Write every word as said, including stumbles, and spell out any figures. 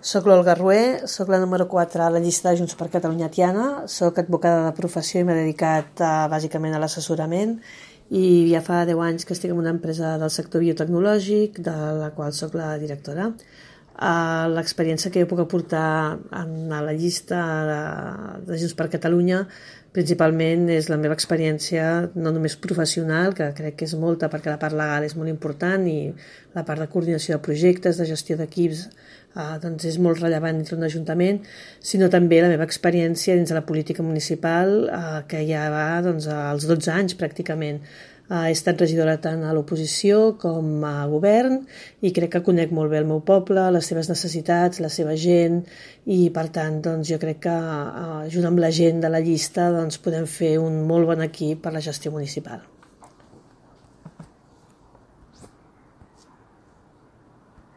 Soc l'Olga Rué, soc la número quatre a la llista de Junts per Catalunya Tiana, soc advocada de professió i m'he dedicat uh, bàsicament a l'assessorament i ja fa deu anys que estic en una empresa del sector biotecnològic, de la qual soc la directora. Uh, L'experiència que jo puc aportar a la llista de, de Junts per Catalunya principalment és la meva experiència no només professional, que crec que és molta perquè la part legal és molt important i la part de coordinació de projectes, de gestió d'equips, eh, doncs és molt rellevant dintre d'un ajuntament, sinó també la meva experiència dins de la política municipal, eh, que ja va doncs, als dotze anys pràcticament. Uh, he estat regidora tant a l'oposició com a govern i crec que conec molt bé el meu poble, les seves necessitats, la seva gent i per tant doncs, jo crec que uh, junt amb la gent de la llista doncs, podem fer un molt bon equip per la gestió municipal.